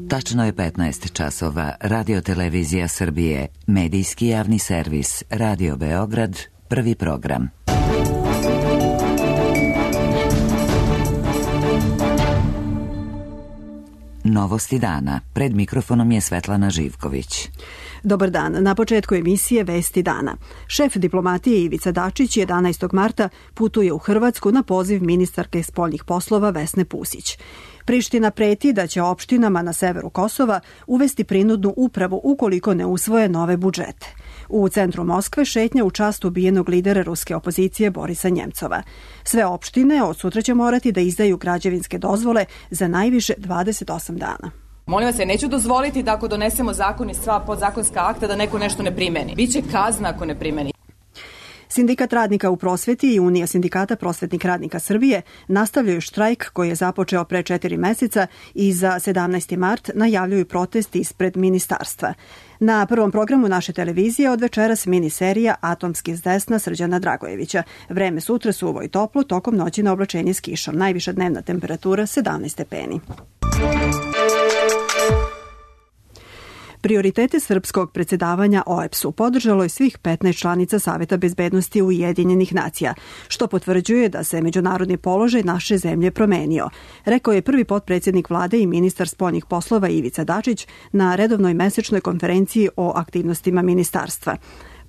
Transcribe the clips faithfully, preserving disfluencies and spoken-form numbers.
Tačno je petnaest časova. Radio Televizija Srbije, medijski javni servis, Radio Beograd, prvi program. Novosti dana. Pred mikrofonom je Svetlana Živković. Dobar dan. Na početku emisije Vesti dana. Šef diplomatije Ivica Dačić jedanaestog marta putuje u Hrvatsku na poziv ministarke spoljnih poslova Vesne Pusić. Priština preti da će opštinama na severu Kosova uvesti prinudnu upravu ukoliko ne usvoje nove budžete. U centru Moskve šetnja u čast ubijenog lidera ruske opozicije Borisa Njemcova. Sve opštine od sutra će morati da izdaju građevinske dozvole za najviše dvadeset osam dana. Molim vas, ja neću dozvoliti da ako donesemo zakon i sva podzakonska akta da neko nešto ne primeni. Biće kazna ako ne primeni. Sindikat radnika u prosveti i Unija sindikata prosvetnih radnika Srbije nastavljaju štrajk koji je započeo pre četiri meseca i za sedamnaesti mart najavljuju protest ispred ministarstva. Na prvom programu naše televizije od večeras miniserija Atomski s desna Srđana Dragojevića. Vreme sutra suvo i toplo, tokom noći na oblačenje s kišom. Najviša dnevna temperatura sedamnaest stepeni. Prioritete srpskog predsjedavanja O E B S U podržalo je svih petnaest članica Saveta bezbednosti Ujedinjenih nacija, što potvrđuje da se međunarodni položaj naše zemlje promenio, rekao je prvi potpredsjednik vlade i ministar spoljnih poslova Ivica Dačić na redovnoj mesečnoj konferenciji o aktivnostima ministarstva.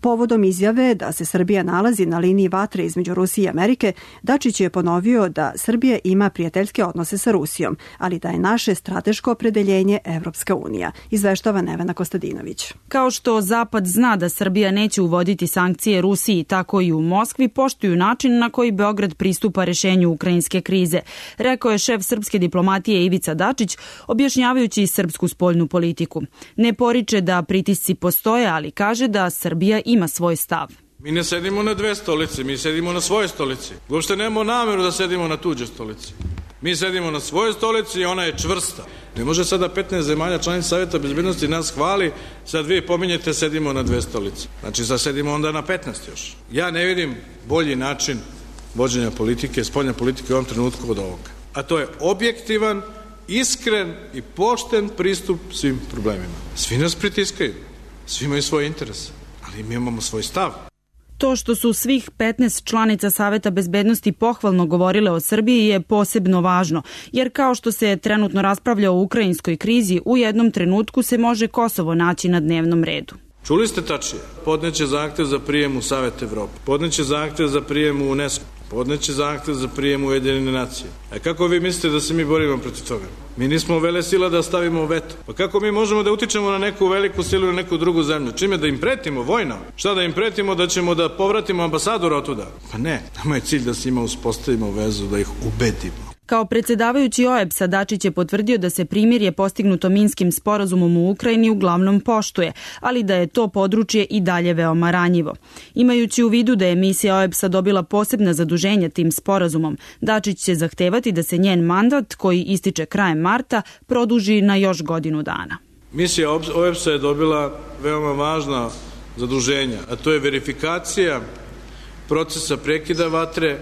Povodom izjave da se Srbija nalazi na liniji vatre između Rusije i Amerike, Dačić je ponovio da Srbija ima prijateljske odnose sa Rusijom, ali da je naše strateško opredeljenje Evropska unija, izveštava Nevena Kostadinović. Kao što Zapad zna da Srbija neće uvoditi sankcije Rusiji, tako i u Moskvi poštuju način na koji Beograd pristupa rešenju ukrajinske krize, rekao je šef srpske diplomatije Ivica Dačić, objašnjavajući srpsku spoljnu politiku. Ne poriče da pritisci postoje, ali kaže da Srbija ima svoj stav. Mi ne sedimo na dve stolice, mi sedimo na svojoj stolici. Uopšte nemamo nameru da sedimo na tuđe stolici. Mi sedimo na svojoj stolici i ona je čvrsta. Ne može sada petnaest zemalja članica Saveta bezbednosti nas hvali, sad vi pominjete sedimo na dve stolice. Znači sad sedimo onda na petnaest još. Ja ne vidim bolji način vođenja politike, spoljne politike u ovom trenutku od ovoga. A to je objektivan, iskren i pošten pristup svim problemima. Svi nas pritiskaju, svi imaju svoje interese. Ali mi imamo svoj stav. To što su svih petnaest članica Saveta bezbednosti pohvalno govorile o Srbiji je posebno važno, jer kao što se trenutno raspravlja o ukrajinskoj krizi, u jednom trenutku se može Kosovo naći na dnevnom redu. Čuli ste tačije. Podneće zahtev za prijem u Savet Evrope. Podneće zahtev za prijem u UNESCO. Podneće zahtev za prijem u Ujedinjene nacije. A kako vi mislite da se mi borimo protiv toga? Mi nismo vele sila da stavimo veto. Pa kako mi možemo da utičemo na neku veliku silu ili na neku drugu zemlju? Čime da im pretimo vojno? Šta da im pretimo da ćemo da povratimo ambasadora otuda? Pa ne, nama je cilj da s njima uspostavimo vezu, da ih ubedimo. Kao predsjedavajući O E B S-a Dačić je potvrdio da se primirje postignuto Minskim sporazumom u Ukrajini uglavnom poštuje, ali da je to područje i dalje veoma ranjivo. Imajući u vidu da je misija O E B S-a dobila posebna zaduženja tim sporazumom, Dačić će zahtevati da se njen mandat, koji ističe krajem marta, produži na još godinu dana. Misija O E B S-a je dobila veoma važna zaduženja, a to je verifikacija procesa prekida vatre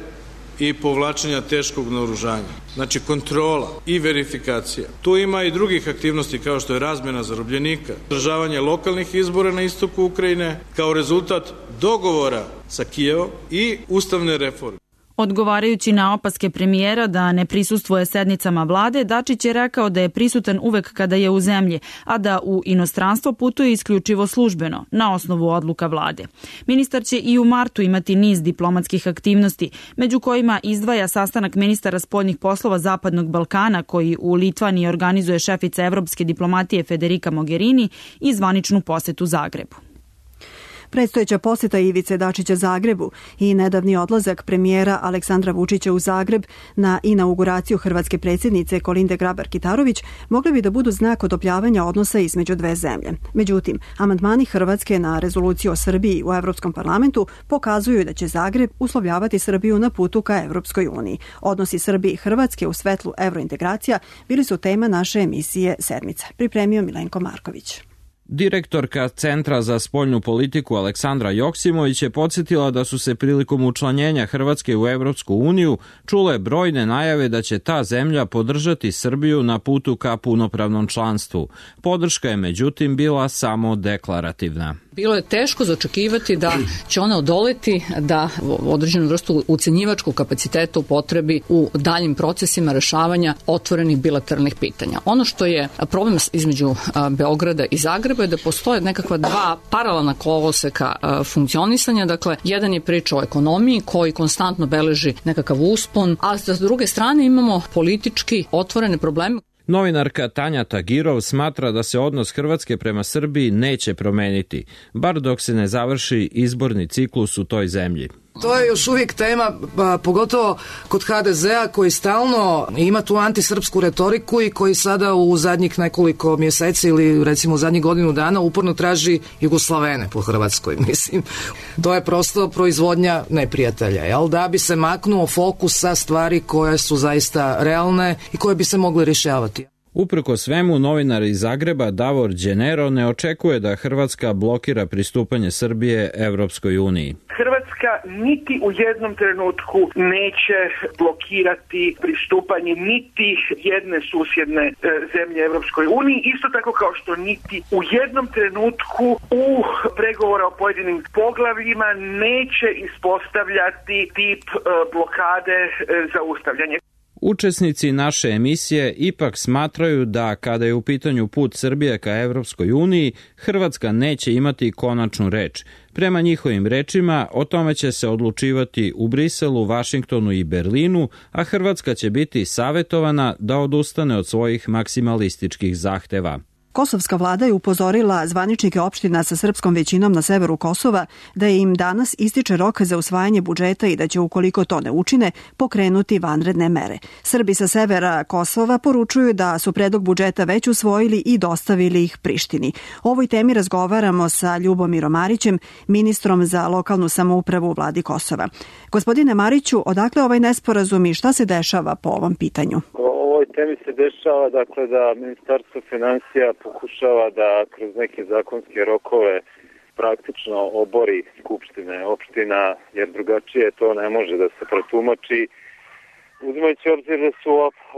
i povlačenja teškog naoružanja. Znači kontrola i verifikacija. Tu ima i drugih aktivnosti kao što je razmjena zarobljenika, održavanje lokalnih izbora na istoku Ukrajine kao rezultat dogovora sa Kijevom i ustavne reforme. Odgovarajući na opaske premijera da ne prisustvuje sednicama vlade, Dačić je rekao da je prisutan uvek kada je u zemlji, a da u inostranstvo putuje isključivo službeno, na osnovu odluka vlade. Ministar će i u martu imati niz diplomatskih aktivnosti, među kojima izdvaja sastanak ministara spoljnih poslova Zapadnog Balkana, koji u Litvaniji organizuje šefica evropske diplomatije Federica Mogherini, i zvaničnu posetu Zagrebu. Predstojeća posjeta Ivice Dačića Zagrebu i nedavni odlazak premijera Aleksandra Vučića u Zagreb na inauguraciju hrvatske predsjednice Kolinde Grabar-Kitarović mogli bi da budu znak odopljavanja odnosa između dve zemlje. Međutim, amandmani Hrvatske na rezoluciju o Srbiji u Evropskom parlamentu pokazuju da će Zagreb uslovljavati Srbiju na putu ka Evropskoj uniji. Odnosi Srbije i Hrvatske u svetlu evrointegracija bili su tema naše emisije Sedmica. Pripremio Milenko Marković. Direktorka Centra za spoljnu politiku Aleksandra Joksimović je podsjetila da su se prilikom učlanjenja Hrvatske u Evropsku uniju čule brojne najave da će ta zemlja podržati Srbiju na putu ka punopravnom članstvu. Podrška je međutim bila samo deklarativna. Bilo je teško zaočekivati da će ona odoleti da određenu vrstu ucenjivačkog kapaciteta upotrebi u daljim procesima rešavanja otvorenih bilateralnih pitanja. Ono što je problem između Beograda i Zagreba je da postoje nekakva dva paralelna koloseka funkcionisanja. Dakle, jedan je priča o ekonomiji koji konstantno beleži nekakav uspon, a s druge strane imamo politički otvorene probleme. Novinarka Tanja Tagirov smatra da se odnos Hrvatske prema Srbiji neće promeniti, bar dok se ne završi izborni ciklus u toj zemlji. To je još uvijek tema, pogotovo kod ha de zea koji stalno ima tu antisrpsku retoriku i koji sada u zadnjih nekoliko mjeseci ili recimo u zadnjih godinu dana uporno traži Jugoslavene po Hrvatskoj. Mislim, to je prosto proizvodnja neprijatelja, jel? Da bi se maknuo fokus sa stvari koje su zaista realne i koje bi se mogle rješavati. Uprko svemu, novinar iz Zagreba Davor Đenero ne očekuje da Hrvatska blokira pristupanje Srbije Evropskoj uniji. Hrvatska niti u jednom trenutku neće blokirati pristupanje niti jedne susjedne e, zemlje Evropskoj uniji, isto tako kao što niti u jednom trenutku u pregovora o pojedinim poglavljima neće ispostavljati tip e, blokade e, zaustavljanja. Učesnici naše emisije ipak smatraju da kada je u pitanju put Srbije ka Evropskoj uniji, Hrvatska neće imati konačnu reč. Prema njihovim rečima, o tome će se odlučivati u Briselu, Vašingtonu i Berlinu, a Hrvatska će biti savetovana da odustane od svojih maksimalističkih zahteva. Kosovska vlada je upozorila zvaničnike opština sa srpskom većinom na severu Kosova da im danas ističe rok za usvajanje budžeta i da će, ukoliko to ne učine, pokrenuti vanredne mere. Srbi sa severa Kosova poručuju da su predlog budžeta već usvojili i dostavili ih Prištini. O ovoj temi razgovaramo sa Ljubomirom Marićem, ministrom za lokalnu samoupravu u vladi Kosova. Gospodine Mariću, odakle ovaj nesporazum i šta se dešava po ovom pitanju? ovoj temi se dešava dakle da Ministarstvo finansija pokušava da kroz neke zakonske rokove praktično obori skupštine opština, jer drugačije to ne može da se protumači. Uzimajući obzir da su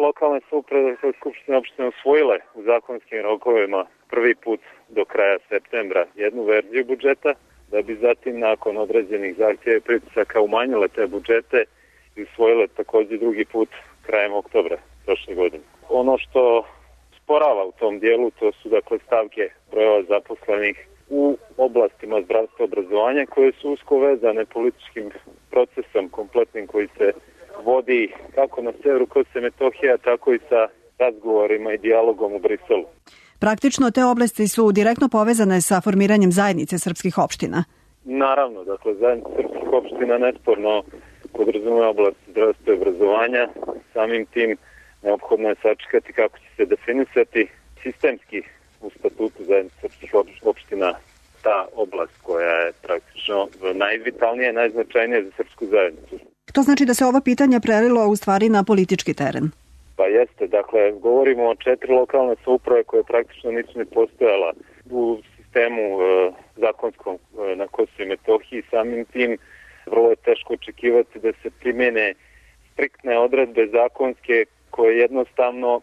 lokalne samouprave skupštine opštine usvojile u zakonskim rokovima prvi put do kraja septembra jednu verziju budžeta, da bi zatim nakon određenih zahtjeva i pritisaka umanjile te budžete i usvojile također drugi put krajem oktobra prošle godine. Ono što sporava u tom dijelu, to su dakle stavke brojeva zaposlenih u oblastima zdravstva i obrazovanja koje su usko vezane političkim procesom kompletnim koji se vodi kako na severu Kosova i Metohije, tako i sa razgovorima i dijalogom u Briselu. Praktično te oblasti su direktno povezane sa formiranjem zajednice srpskih opština. Naravno, dakle zajednica srpskih opština nesporno podrazumeva oblast zdravstva i obrazovanja, samim tim neophodno je sačekati kako će se definisati sistemski u statutu zajednice srpskih opština ta oblast koja je praktično najvitalnija i najznačajnija za srpsku zajednicu. To znači da se ovo pitanje prelilo u stvari na politički teren? Pa jeste, dakle govorimo o četiri lokalne samouprave koje praktično nisu ni postojala u sistemu e, zakonskom e, na Kosovu i Metohiji. Samim tim vrlo je teško očekivati da se primjene striktne odredbe zakonske koje jednostavno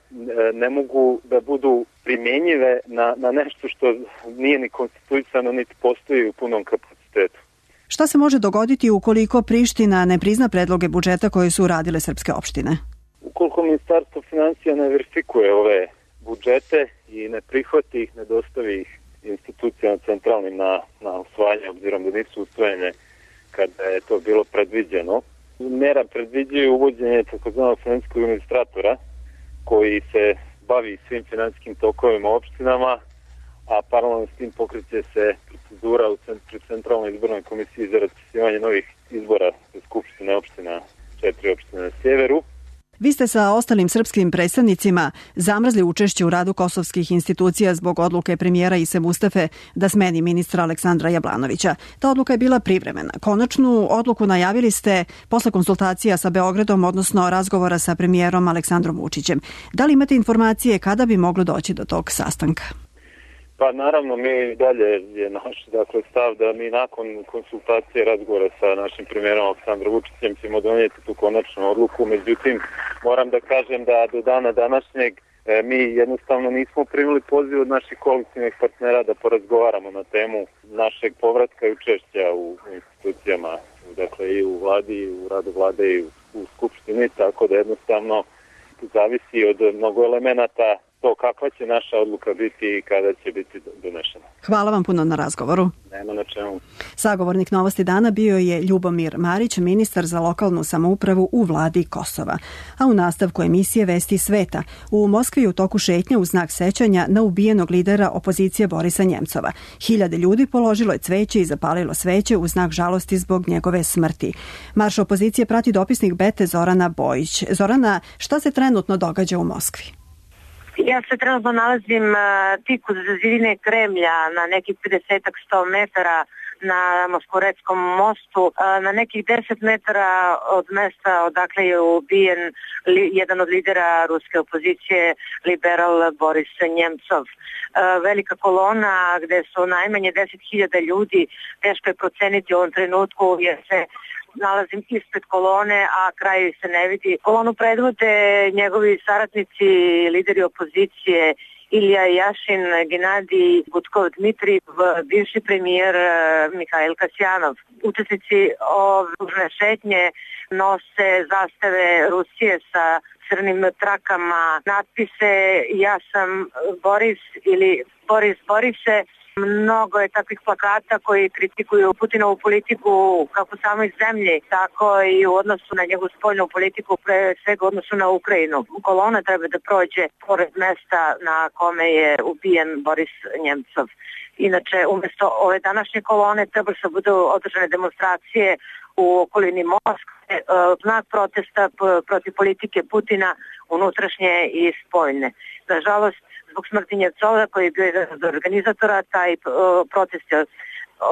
ne mogu da budu primjenjive na, na nešto što nije ni konstituisano, niti postoji u punom kapacitetu. Šta se može dogoditi ukoliko Priština ne prizna predloge budžeta koje su uradile srpske opštine? Ukoliko Ministarstvo finansija ne verifikuje ove budžete i ne prihvati ih, ne dostavi ih institucijama centralnim na, na usvajanje, obzirom da nisu usvojene kada je to bilo predviđeno, mera predviđaju uvođenje takozvanog finansijskog administratora koji se bavi svim finansijskim tokovima opštinama, a paralelno s tim pokreće se procedura u centralnoj izbornoj komisiji za raspisivanje novih izbora za skupštine opština, četiri opštine na sjeveru. Vi ste sa ostalim srpskim predstavnicima zamrzli učešće u radu kosovskih institucija zbog odluke premijera Ise Mustafe da smeni ministra Aleksandra Jablanovića. Ta odluka je bila privremena. Konačnu odluku najavili ste posle konsultacija sa Beogradom, odnosno razgovora sa premijerom Aleksandrom Vučićem. Da li imate informacije kada bi moglo doći do tog sastanka? Pa naravno, mi dalje je naš dakle, stav da mi nakon konsultacije i razgovora sa našim premijerom Aleksandrom Vučićem ćemo donijeti tu konačnu odluku. Međutim, moram da kažem da do dana današnjeg e, mi jednostavno nismo primili poziv od naših koalicijnih partnera da porazgovaramo na temu našeg povratka i učešća u institucijama, dakle i u vladi, i u radu vlade i u, u skupštini, tako da jednostavno zavisi od mnogo elemenata to kakva će naša odluka biti i kada će biti donešena. Hvala vam puno na razgovoru. Nema na čemu. Sagovornik Novosti dana bio je Ljubomir Marić, ministar za lokalnu samoupravu u vladi Kosova. A u nastavku emisije Vesti sveta, u Moskvi je u toku šetnje u znak sećanja na ubijenog lidera opozicije Borisa Njemcova. Hiljade ljudi položilo je cveće i zapalilo sveće u znak žalosti zbog njegove smrti. Marš opozicije prati dopisnik Bete Zorana Bojić. Zorana, šta se trenutno događa u Moskvi? Ja se trenutno nalazim uh, tik uz zidine Kremlja na nekih pedeset do sto metara na Moskvoretskom mostu, uh, na nekih deset metara od mesta odakle je ubijen li, jedan od lidera ruske opozicije, liberal Boris Njemcov. Uh, velika kolona gde su najmanje deset hiljada ljudi, teško je proceniti u ovom trenutku jer se nalazim ispred kolone, a kraj se ne vidi. Kolonu predvode njegovi saradnici, lideri opozicije, Ilija Jašin, Genadij Gutkov Dmitrijev, bivši premijer Mihajl Kasjanov. Učesnici ove šetnje nose zastave Rusije sa crnim trakama, natpise Ja sam Boris ili Boris Borise. Mnogo je takvih plakata koji kritikuju Putinovu politiku kako samo iz zemlje, tako i u odnosu na njegovu spoljnu politiku, pre svega u odnosu na Ukrajinu. Kolona treba da prođe pored mesta na kome je ubijen Boris Njemcov. Inače, umjesto ove današnje kolone treba se budu održane demonstracije u okolini Moskve, znak protesta protiv politike Putina, unutrašnje i spoljne. Nažalost, zbog smrti Njemcova koji je bio jedan od organizatora, taj protest je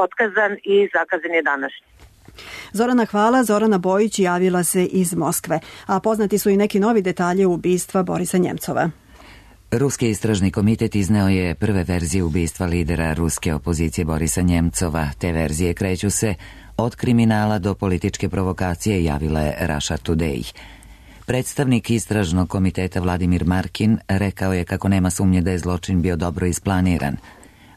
otkazan i zakazan je današnji. Zorana, hvala. Zorana Bojić javila se iz Moskve, a poznati su i neki novi detalji ubistva Borisa Njemcova. Ruski istražni komitet izneo je prve verzije ubistva lidera ruske opozicije Borisa Njemcova. Te verzije kreću se od kriminala do političke provokacije, javila je Russia Today. Predstavnik istražnog komiteta Vladimir Markin rekao je kako nema sumnje da je zločin bio dobro isplaniran.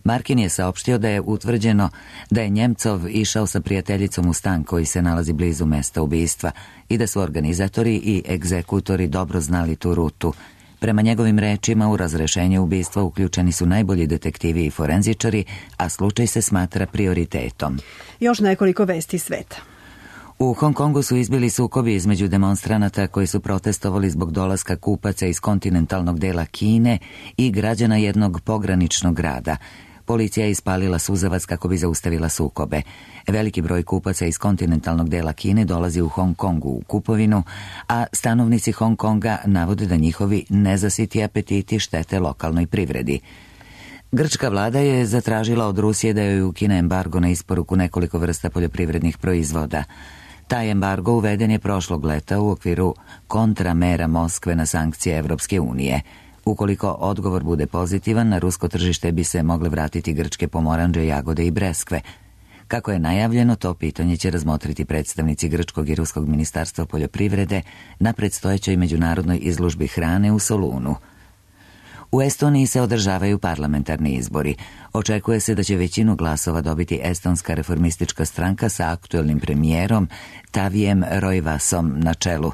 Markin je saopštio da je utvrđeno da je Njemcov išao sa prijateljicom u stan koji se nalazi blizu mesta ubistva i da su organizatori i egzekutori dobro znali tu rutu. Prema njegovim rečima, u razrešenje ubistva uključeni su najbolji detektivi i forenzičari, a slučaj se smatra prioritetom. Još nekoliko vesti sveta. U Hong Kongu su izbili sukobi između demonstranata koji su protestovali zbog dolaska kupaca iz kontinentalnog dela Kine i građana jednog pograničnog grada. Policija je ispalila suzavac kako bi zaustavila sukobe. Veliki broj kupaca iz kontinentalnog dela Kine dolazi u Hong Kongu u kupovinu, a stanovnici Hong Konga navode da njihovi nezasiti apetiti štete lokalnoj privredi. Grčka vlada je zatražila od Rusije da joj ukine embargo na isporuku nekoliko vrsta poljoprivrednih proizvoda. Taj embargo uveden je prošlog leta u okviru kontramera Moskve na sankcije Evropske unije. Ukoliko odgovor bude pozitivan, na rusko tržište bi se mogle vratiti grčke pomoranđe, jagode i breskve. Kako je najavljeno, to pitanje će razmotriti predstavnici grčkog i ruskog ministarstva poljoprivrede na predstojećoj međunarodnoj izložbi hrane u Solunu. U Estoniji se održavaju parlamentarni izbori. Očekuje se da će većinu glasova dobiti estonska reformistička stranka sa aktuelnim premijerom Tavijem Roivasom na čelu.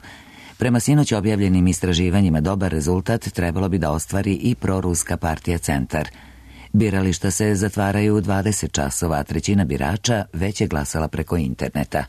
Prema sinoć objavljenim istraživanjima dobar rezultat trebalo bi da ostvari i proruska partija Centar. Birališta se zatvaraju u dvadeset časova, a trećina birača već je glasala preko interneta.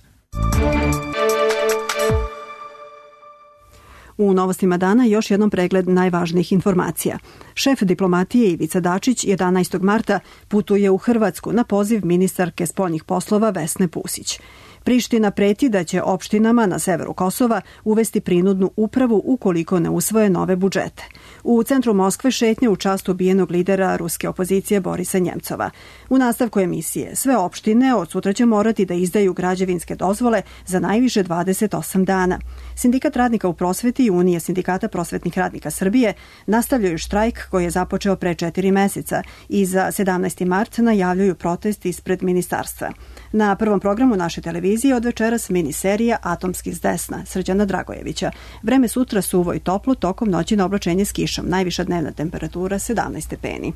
U novostima dana još jednom pregled najvažnijih informacija. Šef diplomatije Ivica Dačić jedanaestog marta putuje u Hrvatsku na poziv ministarke spoljnih poslova Vesne Pusić. Priština preti da će opštinama na severu Kosova uvesti prinudnu upravu ukoliko ne usvoje nove budžete. U centru Moskve šetnje u čast ubijenog lidera ruske opozicije Borisa Njemcova. U nastavku emisije sve opštine od sutra će morati da izdaju građevinske dozvole za najviše dvadeset osam dana. Sindikat radnika u prosveti i Unija sindikata prosvetnih radnika Srbije nastavljaju štrajk koji je započeo pre četiri meseca i za sedamnaesti mart najavljuju protest ispred ministarstva. Na prvom programu naše televizije od večeras miniserija Atomski s desna Srđana Dragojevića. Vreme sutra suvo i toplo, tokom noći na oblačenje s kišom. Najviša dnevna temperatura sedamnaest stepeni.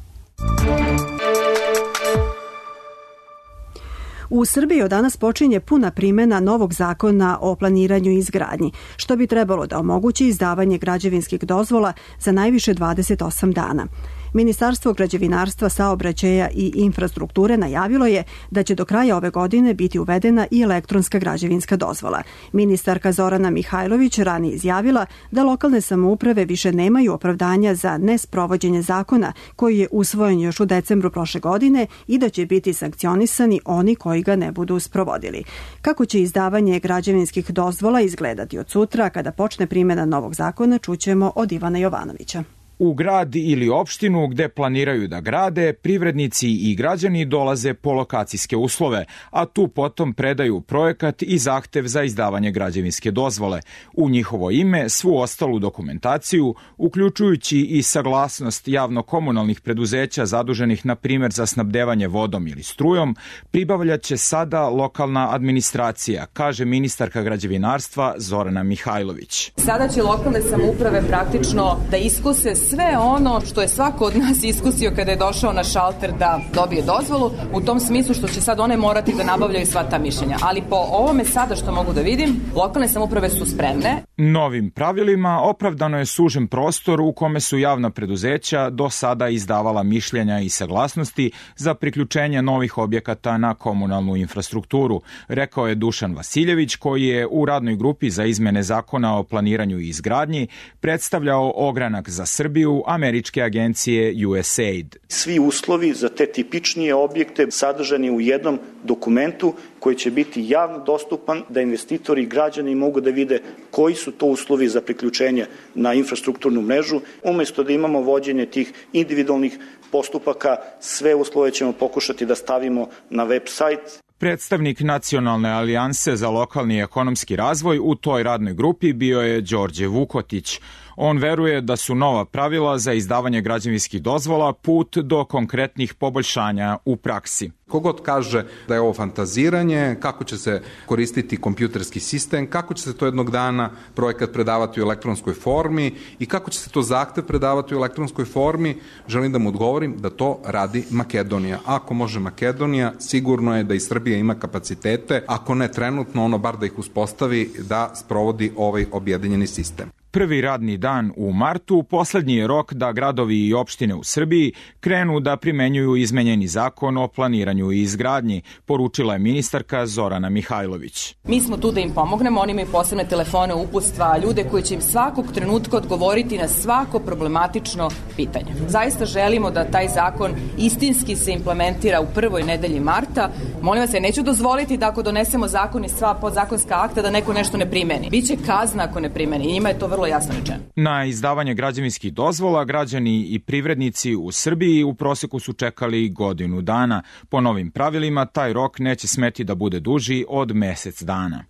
U Srbiji od danas počinje puna primjena novog zakona o planiranju i izgradnji, što bi trebalo da omogući izdavanje građevinskih dozvola za najviše dvadeset osam dana. Ministarstvo građevinarstva, saobraćaja i infrastrukture najavilo je da će do kraja ove godine biti uvedena i elektronska građevinska dozvola. Ministarka Zorana Mihajlović ranije izjavila da lokalne samouprave više nemaju opravdanja za nesprovođenje zakona koji je usvojen još u decembru prošle godine i da će biti sankcionisani oni koji ga ne budu sprovodili. Kako će izdavanje građevinskih dozvola izgledati od sutra kada počne primjena novog zakona, čućemo od Ivana Jovanovića. U grad ili opštinu gde planiraju da grade, privrednici i građani dolaze po lokacijske uslove, a tu potom predaju projekat i zahtev za izdavanje građevinske dozvole. U njihovo ime svu ostalu dokumentaciju, uključujući i saglasnost javno-komunalnih preduzeća zaduženih na primjer za snabdevanje vodom ili strujom, pribavljaće sada lokalna administracija, kaže ministarka građevinarstva Zorana Mihajlović. Sada će lokalne samouprave praktično da iskuse sve ono što je svako od nas iskusio kada je došao na šalter da dobije dozvolu, u tom smislu što će sad one morati da nabavljaju sva ta mišljenja. Ali po ovome sada što mogu da vidim, lokalne samouprave su spremne. Novim pravilima opravdano je sužen prostor u kome su javna preduzeća do sada izdavala mišljenja i saglasnosti za priključenje novih objekata na komunalnu infrastrukturu, rekao je Dušan Vasiljević, koji je u radnoj grupi za izmene zakona o planiranju i izgradnji predstavljao ogranak za Srbiju američke agencije U S A I D. Svi uslovi za te tipičnije objekte sadržani u jednom dokumentu koji će biti javno dostupan, da investitori i građani mogu da vide koji su to uslovi za priključenje na infrastrukturnu mrežu. Umesto da imamo vođenje tih individualnih postupaka, sve uslove ćemo pokušati da stavimo na web sajt. Predstavnik Nacionalne alijanse za lokalni ekonomski razvoj u toj radnoj grupi bio je Đorđe Vukotić. On veruje da su nova pravila za izdavanje građevinskih dozvola put do konkretnih poboljšanja u praksi. Kogod kaže da je ovo fantaziranje, kako će se koristiti kompjuterski sistem, kako će se to jednog dana projekat predavati u elektronskoj formi i kako će se to zahtev predavati u elektronskoj formi, želim da mu odgovorim da to radi Makedonija. Ako može Makedonija, sigurno je da i Srbija ima kapacitete, ako ne trenutno, ono bar da ih uspostavi da sprovodi ovaj objedinjeni sistem. Prvi radni dan u martu poslednji je rok da gradovi i opštine u Srbiji krenu da primenjuju izmenjeni zakon o planiranju i izgradnji, poručila je ministarka Zorana Mihajlović. Mi smo tu da im pomognemo, oni imaju posebne telefone, uputstva, ljude koji će im svakog trenutka odgovoriti na svako problematično pitanje. Zaista želimo da taj zakon istinski se implementira u prvoj nedelji marta. Molim vas, ja neću dozvoliti da ako donesemo zakon i sva podzakonska akta da neko nešto ne primeni. Biće kazna ako ne primeni i njima je to vrlo jasno rečeno. Na izdavanje građevinskih dozvola građani i privrednici u Srbiji u proseku su čekali godinu dana. Po novim pravilima taj rok neće smeti da bude duži od mesec dana.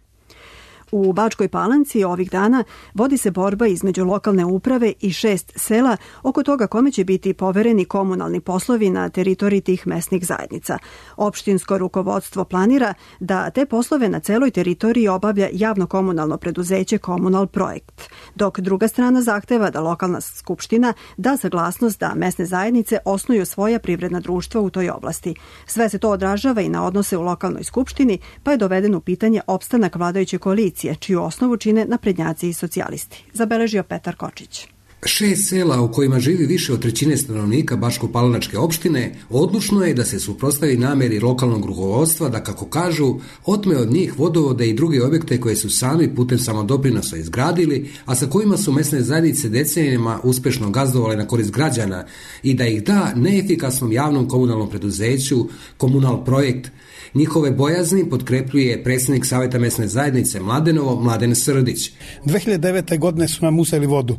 U Bačkoj Palanci ovih dana vodi se borba između lokalne uprave i šest sela oko toga kome će biti povereni komunalni poslovi na teritoriji tih mesnih zajednica. Opštinsko rukovodstvo planira da te poslove na celoj teritoriji obavlja javno komunalno preduzeće Komunal projekt, dok druga strana zahteva da lokalna skupština da saglasnost da mesne zajednice osnuju svoja privredna društva u toj oblasti. Sve se to odražava i na odnose u lokalnoj skupštini, pa je doveden u pitanje opstanak vladajuće koalicije, čiju osnovu čine naprednjaci i socijalisti. Zabeležio Petar Kočić. Šest sela u kojima živi više od trećine stanovnika Bačko-Palanačke opštine odlučno je da se suprotstavi nameri lokalnog rukovodstva da, kako kažu, otme od njih vodovode i druge objekte koje su sami putem samodoprinosa izgradili, a sa kojima su mesne zajednice decenijama uspešno gazdovale na korist građana, i da ih da neefikasnom javnom komunalnom preduzeću Komunal projekt. Njihove bojazni potkrepljuje predsjednik Saveta mesne zajednice Mladenovo, Mladen Srdić. dve hiljade devete. godine su nam uzeli vodu.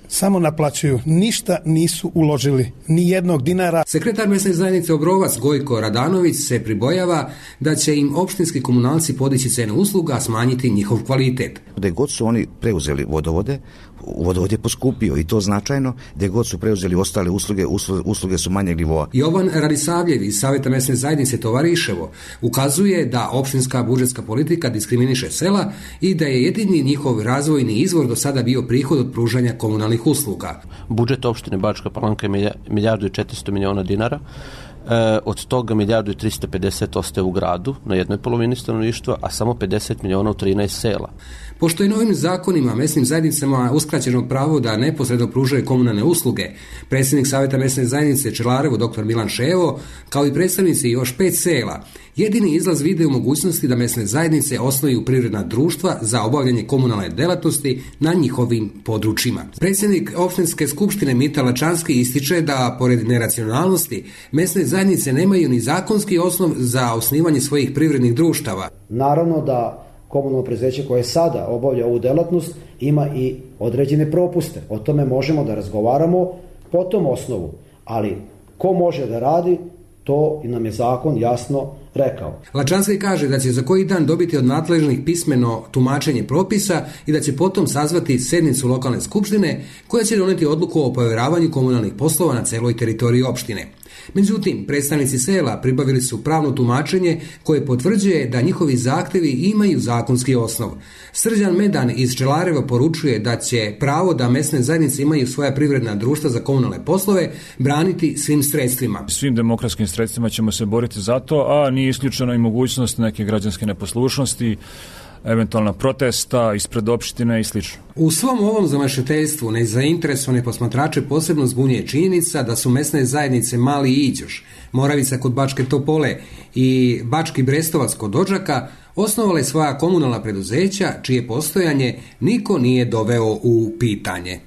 Samo naplaćuju, ništa nisu uložili, ni jednog dinara. Sekretar mesne zajednice Obrovac Gojko Radanović se pribojava da će im opštinski komunalci podići cenu usluga, a smanjiti njihov kvalitet. Gde god su oni preuzeli vodovode, vodovod je poskupio i to značajno, gde god su preuzeli ostale usluge, usluge, usluge su manjeg nivoa. Jovan Radisavljev iz Saveta mesne zajednice Tovariševo ukazuje da opštinska budžetska politika diskriminiše sela i da je jedini njihov razvojni izvor do sada bio prihod od pružanja komunalnih usluga. Budžet opštine Bačka Palanka je milijardu i četiristo miliona dinara. E, od toga milijardu i tristo pedeset ostaje u gradu na jednoj polovini stanovništva, a samo pedeset miliona u trinaest sela. Pošto je novim zakonima mesnim zajednicama uskraćeno pravo da neposredno pružaju komunalne usluge, predsjednik Saveta mesne zajednice Čelarevo dr. Milan Ševo, kao i predstavnici još pet sela, jedini izlaz vide u mogućnosti da mesne zajednice osnuju privredna društva za obavljanje komunalne delatnosti na njihovim područjima. Predsjednik opštinske skupštine Mita Lačanski ističe da, pored neracionalnosti, mesne zajednice nemaju ni zakonski osnov za osnivanje svojih privrednih društava. Naravno da komunalno preduzeće koje sada obavlja ovu delatnost ima i određene propuste. O tome možemo da razgovaramo po tom osnovu, ali ko može da radi, to nam je zakon jasno rekao. Lačanski kaže da će za koji dan dobiti od nadležnih pismeno tumačenje propisa i da će potom sazvati sednicu lokalne skupštine koja će doneti odluku o povjeravanju komunalnih poslova na celoj teritoriji opštine. Međutim, predstavnici sela pribavili su pravno tumačenje koje potvrđuje da njihovi zahtevi imaju zakonski osnov. Srđan Medan iz Čelareva poručuje da će pravo da mesne zajednice imaju svoja privredna društva za komunalne poslove braniti svim sredstvima. Svim demokratskim sredstvima ćemo se boriti za to, a nije isključeno i mogućnost neke građanske neposlušnosti, eventualna protesta ispred opštine i slično. U svom ovom zamašeteljstvu nezainteresovane posmatrače posebno zbunjuje činjenica da su mesne zajednice Mali Iđoš, Moravica kod Bačke Topole i Bački Brestovac kod Odžaka osnovale svoja komunalna preduzeća čije postojanje niko nije doveo u pitanje.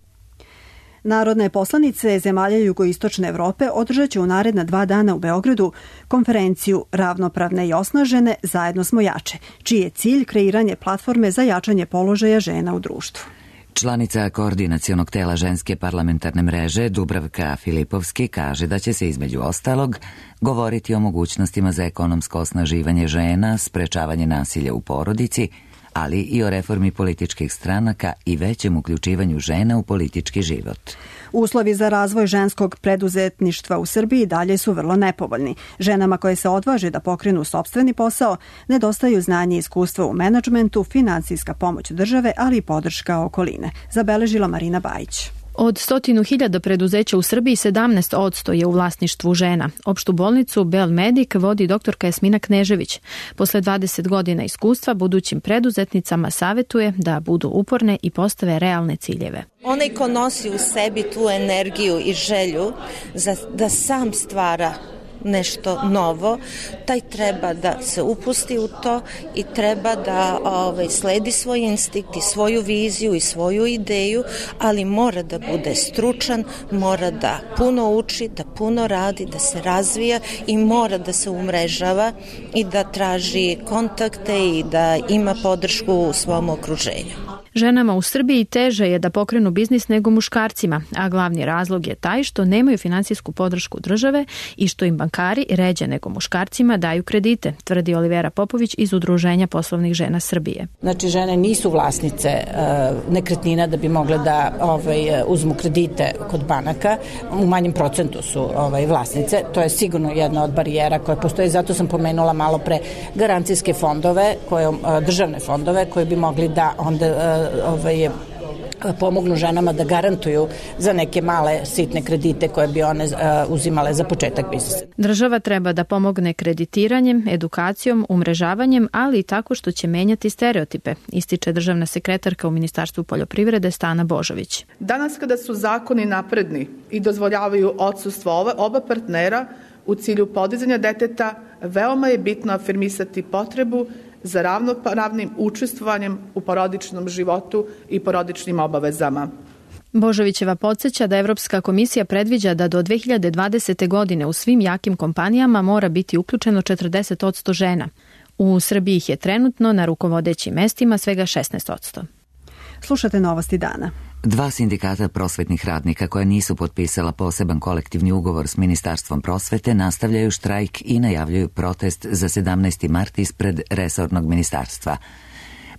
Narodne poslanice zemalja jugoistočne Evrope održat će u naredna dva dana u Beogradu konferenciju Ravnopravne i osnažene, zajedno smo jače, čiji je cilj kreiranje platforme za jačanje položaja žena u društvu. Članica koordinacionog tela ženske parlamentarne mreže Dubravka Filipovski kaže da će se između ostalog govoriti o mogućnostima za ekonomsko osnaživanje žena, sprečavanje nasilja u porodici, ali i o reformi političkih stranaka i većem uključivanju žena u politički život. Uslovi za razvoj ženskog preduzetništva u Srbiji dalje su vrlo nepovoljni. Ženama koje se odvaže da pokrenu sopstveni posao nedostaju znanje i iskustva u menadžmentu, finansijska pomoć države, ali i podrška okoline, zabeležila Marina Bajić. Od stotinu hiljada preduzeća u Srbiji sedamnaest posto je u vlasništvu žena. Opštu bolnicu Belmedik vodi doktorka Jasmina Knežević. Posle dvadeset godina iskustva budućim preduzetnicama savetuje da budu uporne i postave realne ciljeve. Onaj ko nosi u sebi tu energiju i želju za, da sam stvara nešto novo, taj treba da se upusti u to i treba da ovaj, sledi svoj instinkt i svoju viziju i svoju ideju, ali mora da bude stručan, mora da puno uči, da puno radi, da se razvija i mora da se umrežava i da traži kontakte i da ima podršku u svom okruženju. Ženama u Srbiji teže je da pokrenu biznis nego muškarcima, a glavni razlog je taj što nemaju finansijsku podršku države i što im bankari ređe nego muškarcima daju kredite, tvrdi Olivera Popović iz Udruženja poslovnih žena Srbije. Znači, žene nisu vlasnice uh, nekretnina da bi mogle da ovaj, uzmu kredite kod banaka, u manjem procentu su ovaj, vlasnice, to je sigurno jedna od barijera koja postoji, zato sam pomenula malo pre garancijske fondove, koje, uh, državne fondove koje bi mogli da onda uh, ovaj, pomognu ženama da garantuju za neke male sitne kredite koje bi one uzimale za početak biznisa. Država treba da pomogne kreditiranjem, edukacijom, umrežavanjem, ali i tako što će menjati stereotipe, ističe državna sekretarka u Ministarstvu poljoprivrede Stana Božović. Danas kada su zakoni napredni i dozvoljavaju odsustvo oba partnera u cilju podizanja deteta, veoma je bitno afirmisati potrebu za ravnopravnim učestvovanjem u porodičnom životu i porodičnim obavezama. Božovićeva podsjeća da Evropska komisija predviđa da do dve hiljade dvadesete. godine u svim jakim kompanijama mora biti uključeno četrdeset posto žena. U Srbiji ih je trenutno na rukovodećim mestima svega šesnaest posto. Slušate Novosti dana. Dva sindikata prosvetnih radnika koja nisu potpisala poseban kolektivni ugovor s Ministarstvom prosvete nastavljaju štrajk i najavljuju protest za sedamnaesti mart ispred resornog ministarstva.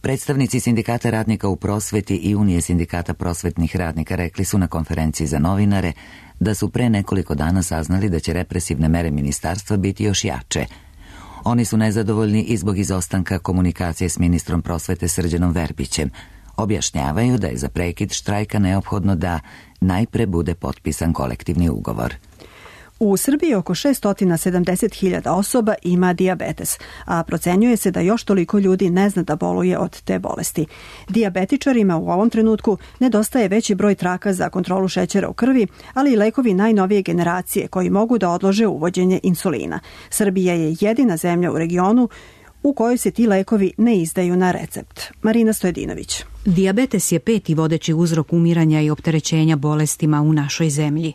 Predstavnici sindikata radnika u prosveti i Unije sindikata prosvetnih radnika rekli su na konferenciji za novinare da su pre nekoliko dana saznali da će represivne mere ministarstva biti još jače. Oni su nezadovoljni i zbog izostanka komunikacije s ministrom prosvete Srđanom Verbićem. Objašnjavaju da je za prekid štrajka neophodno da najpre bude potpisan kolektivni ugovor. U Srbiji oko šesto sedamdeset hiljada osoba ima dijabetes, a procenjuje se da još toliko ljudi ne zna da boluje od te bolesti. Dijabetičarima u ovom trenutku nedostaje veći broj traka za kontrolu šećera u krvi, ali i lekovi najnovije generacije koji mogu da odlože uvođenje insulina. Srbija je jedina zemlja u regionu u kojoj se ti lekovi ne izdaju na recept. Marina Stojedinović. Dijabetes je peti vodeći uzrok umiranja i opterećenja bolestima u našoj zemlji.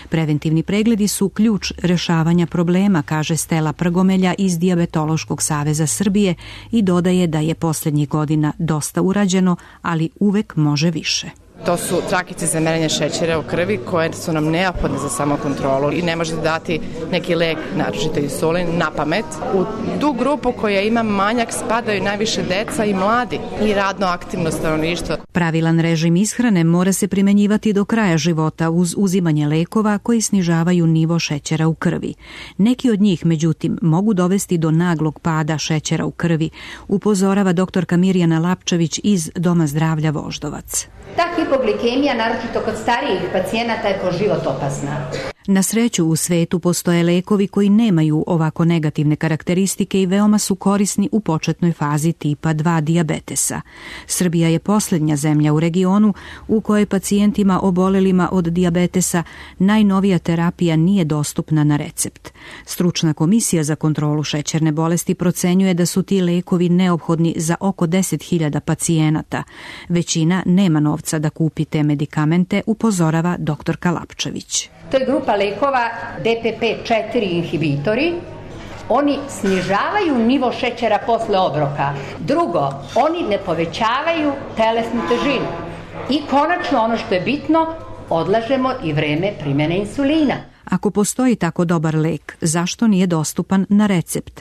Preventivni pregledi su ključ rešavanja problema, kaže Stela Prgomelja iz Dijabetološkog saveza Srbije i dodaje da je posljednjih godina dosta urađeno, ali uvek može više. To su trakice za merenje šećera u krvi koje su nam neophodne za samokontrolu i ne možete dati neki lek, naročito insulin, na pamet. U tu grupu koja ima manjak spadaju najviše deca i mladi i radno aktivno stanovništvo. Pravilan režim ishrane mora se primenjivati do kraja života uz uzimanje lekova koji snižavaju nivo šećera u krvi. Neki od njih, međutim, mogu dovesti do naglog pada šećera u krvi, upozorava doktorka Mirjana Lapčević iz Doma zdravlja Voždovac. Ta hipoglikemija, naročito kod starijih pacijenata, je po život opasna. Na sreću u svetu postoje lekovi koji nemaju ovako negativne karakteristike i veoma su korisni u početnoj fazi tipa dva dijabetesa. Srbija je posljednja zemlja u regionu u kojoj pacijentima obolelima od dijabetesa najnovija terapija nije dostupna na recept. Stručna komisija za kontrolu šećerne bolesti procenjuje da su ti lekovi neophodni za oko deset hiljada pacijenata. Većina nema novca da kupi te medikamente, upozorava doktorka Lapčević. To je grupa lekova D P P četiri inhibitori. Oni snižavaju nivo šećera posle obroka. Drugo, oni ne povećavaju telesnu težinu. I konačno, ono što je bitno, odlažemo i vreme primjene insulina. Ako postoji tako dobar lek, zašto nije dostupan na recept?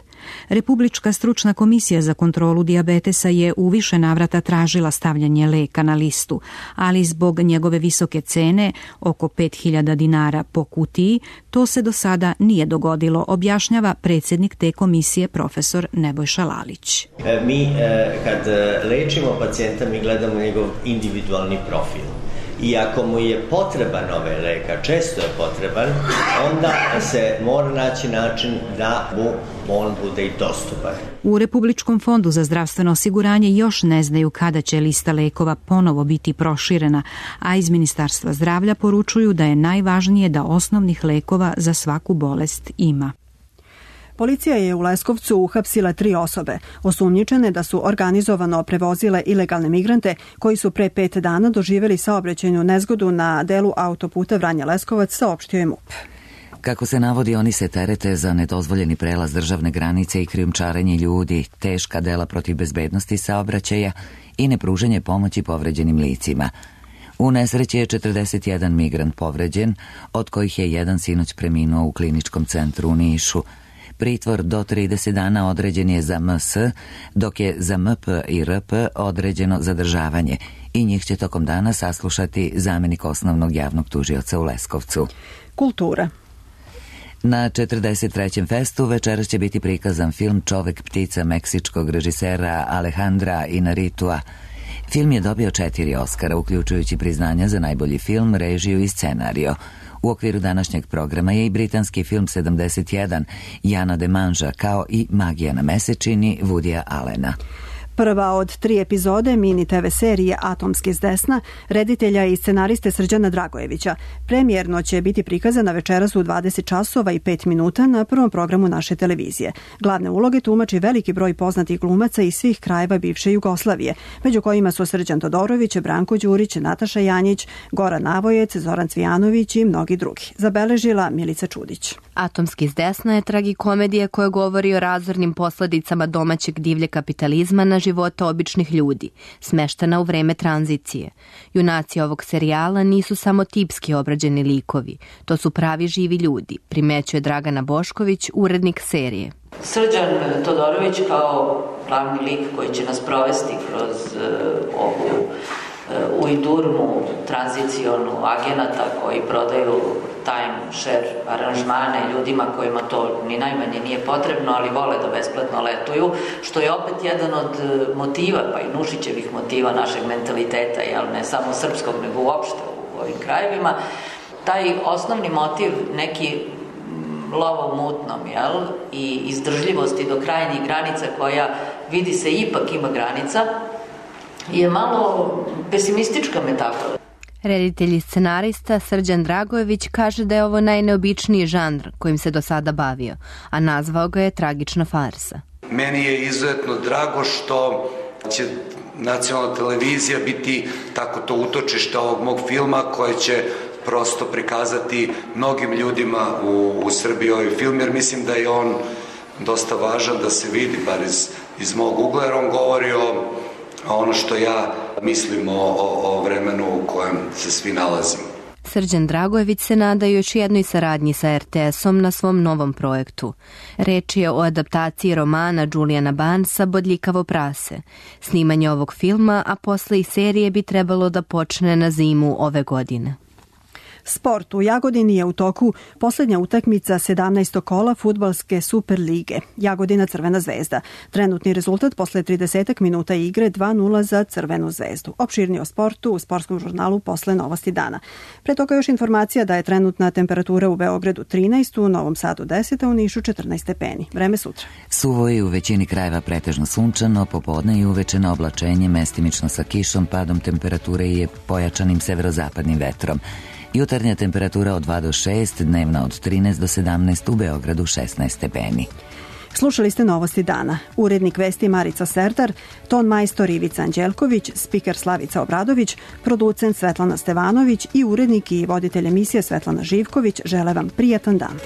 Republička stručna komisija za kontrolu dijabetesa je u više navrata tražila stavljanje leka na listu, ali zbog njegove visoke cene, oko pet hiljada dinara po kutiji, to se do sada nije dogodilo, objašnjava predsjednik te komisije profesor Nebojša Lalić. Mi kad lečimo pacijenta, mi gledamo njegov individualni profil. I ako mu je potreban ovaj lek, a često je potreban, onda se mora naći način da mu on bude i dostupan. U Republičkom fondu za zdravstveno osiguranje još ne znaju kada će lista lekova ponovo biti proširena, a iz Ministarstva zdravlja poručuju da je najvažnije da osnovnih lekova za svaku bolest ima. Policija je u Leskovcu uhapsila tri osobe, osumnjičene da su organizovano prevozile ilegalne migrante koji su pre pet dana doživjeli saobraćajnu nezgodu na delu autoputa Vranje-Leskovac, saopštio je M U P. Kako se navodi, oni se terete za nedozvoljeni prelaz državne granice i krijumčarenje ljudi, teška dela protiv bezbednosti saobraćaja i nepružanje pomoći povređenim licima. U nesreći je četrdeset jedan migrant povređen, od kojih je jedan sinoć preminuo u kliničkom centru u Nišu. Pritvor do trideset dana određen je za M S, dok je za M P i R P određeno zadržavanje i njih će tokom dana saslušati zamjenik osnovnog javnog tužioca u Leskovcu. Kultura. Na četrdeset trećem festu večeras će biti prikazan film Čovek ptica meksičkog režisera Alejandra Inarritua. Film je dobio četiri Oskara, uključujući priznanja za najbolji film, režiju i scenario. U okviru današnjeg programa je i britanski film sedamdeset jedan Jana de Manža, kao i Magija na mesečini Woodya Allena. Prva od tri epizode mini te ve serije Atomski s desna, reditelja i scenariste Srđana Dragojevića. Premijerno će biti prikazana večeras u dvadeset časova i pet minuta na prvom programu naše televizije. Glavne uloge tumači veliki broj poznatih glumaca iz svih krajeva bivše Jugoslavije, među kojima su Srđan Todorović, Branko Đurić, Nataša Janjić, Goran Navojec, Zoran Cvijanović i mnogi drugi. Zabeležila Milica Čudić. Atomski s desna je tragikomedija koja govori o razornim posledicama domaćeg divlje kapitalizma na života običnih ljudi, smeštena u vreme tranzicije. Junaci ovog serijala nisu samo tipski obrađeni likovi, to su pravi živi ljudi, primećuje Dragana Bošković, urednik serije. Srđan Todorović kao glavni lik koji će nas provesti kroz uh, ovu uh, ujdurnu tranzicionu agenata koji prodaju timeshare aranžmane ljudima kojima to ni najmanje nije potrebno, ali vole da besplatno letuju, što je opet jedan od motiva, pa i Nušićevih motiva našeg mentaliteta, jel, ne samo srpskog, nego uopšte u ovim krajevima. Taj osnovni motiv, neki lova u mutnom, jel, i izdržljivosti do krajnjih granica koja vidi se ipak ima granica, je malo pesimistička metafora. Reditelj i scenarista Srđan Dragojević kaže da je ovo najneobičniji žanr kojim se do sada bavio, a nazvao ga je tragična farsa. Meni je izuzetno drago što će nacionalna televizija biti tako to utočište ovog mog filma koje će prosto prikazati mnogim ljudima u, u Srbiji ovaj film, jer mislim da je on dosta važan da se vidi, bar iz, iz mog ugla, jer on govori o ono što ja mislim o, o, o vremenu u kojem se svi nalazimo. Srđan Dragojević se nada još jednoj saradnji sa er te esom na svom novom projektu. Reč je o adaptaciji romana Julijana Barnesa Bodljikavo prase. Snimanje ovog filma, a posle i serije bi trebalo da počne na zimu ove godine. Sport. U Jagodini je u toku posljednja utakmica sedamnaestog kola fudbalske Super lige. Jagodina Crvena zvezda. Trenutni rezultat posle trideset minuta igre dva nula za Crvenu zvezdu. Opširnije o sportu u sportskom žurnalu posle Novosti dana. Pre toga još informacija da je trenutna temperatura u Beogradu trinaest, u Novom Sadu deset, a u Nišu četrnaest stepeni. Vreme sutra. Suvo je u većini krajeva pretežno sunčano, popodne i uveče na oblačenje, mestimično sa kišom, padom temperature i pojačanim severozapadnim vetrom. Jutarnja temperatura od dva do šest, dnevna od trinaest do sedamnaest, u Beogradu šesnaest stepeni. Slušali ste Novosti dana. Urednik vesti Marica Serdar, ton majstor Ivica Anđelković, spiker Slavica Obradović, producent Svetlana Stevanović i urednik i voditelj emisije Svetlana Živković žele vam prijatan dan.